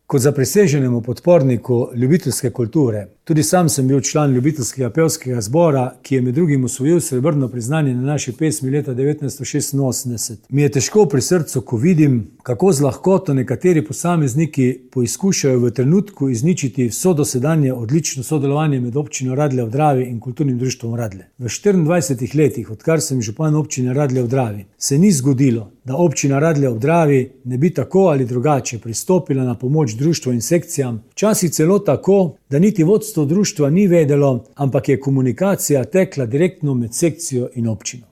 Kot zapriseženemu podporniku ljubiteljske kulture, tudi sam sem bil član ljubiteljskega pevskega zbora, ki je med drugim osvojil srebrno priznanje na naši pesmi leta 1986. Mi je težko pri srcu, ko vidim, kako z lahkoto nekateri posamezniki poizkušajo v trenutku izničiti vso dosedanje odlično sodelovanje med občino Radlje ob Dravi in kulturnim društvom Radlje. V 24 letih, odkar sem župan občine Radlje ob Dravi, se ni zgodilo, da občina Radlje ob Dravi ne bi tako ali drugače pristopila na pomoč društvu in sekcijam, včasih celo tako, da niti vodstvo društva ni vedelo, ampak je komunikacija tekla direktno med sekcijo in občino.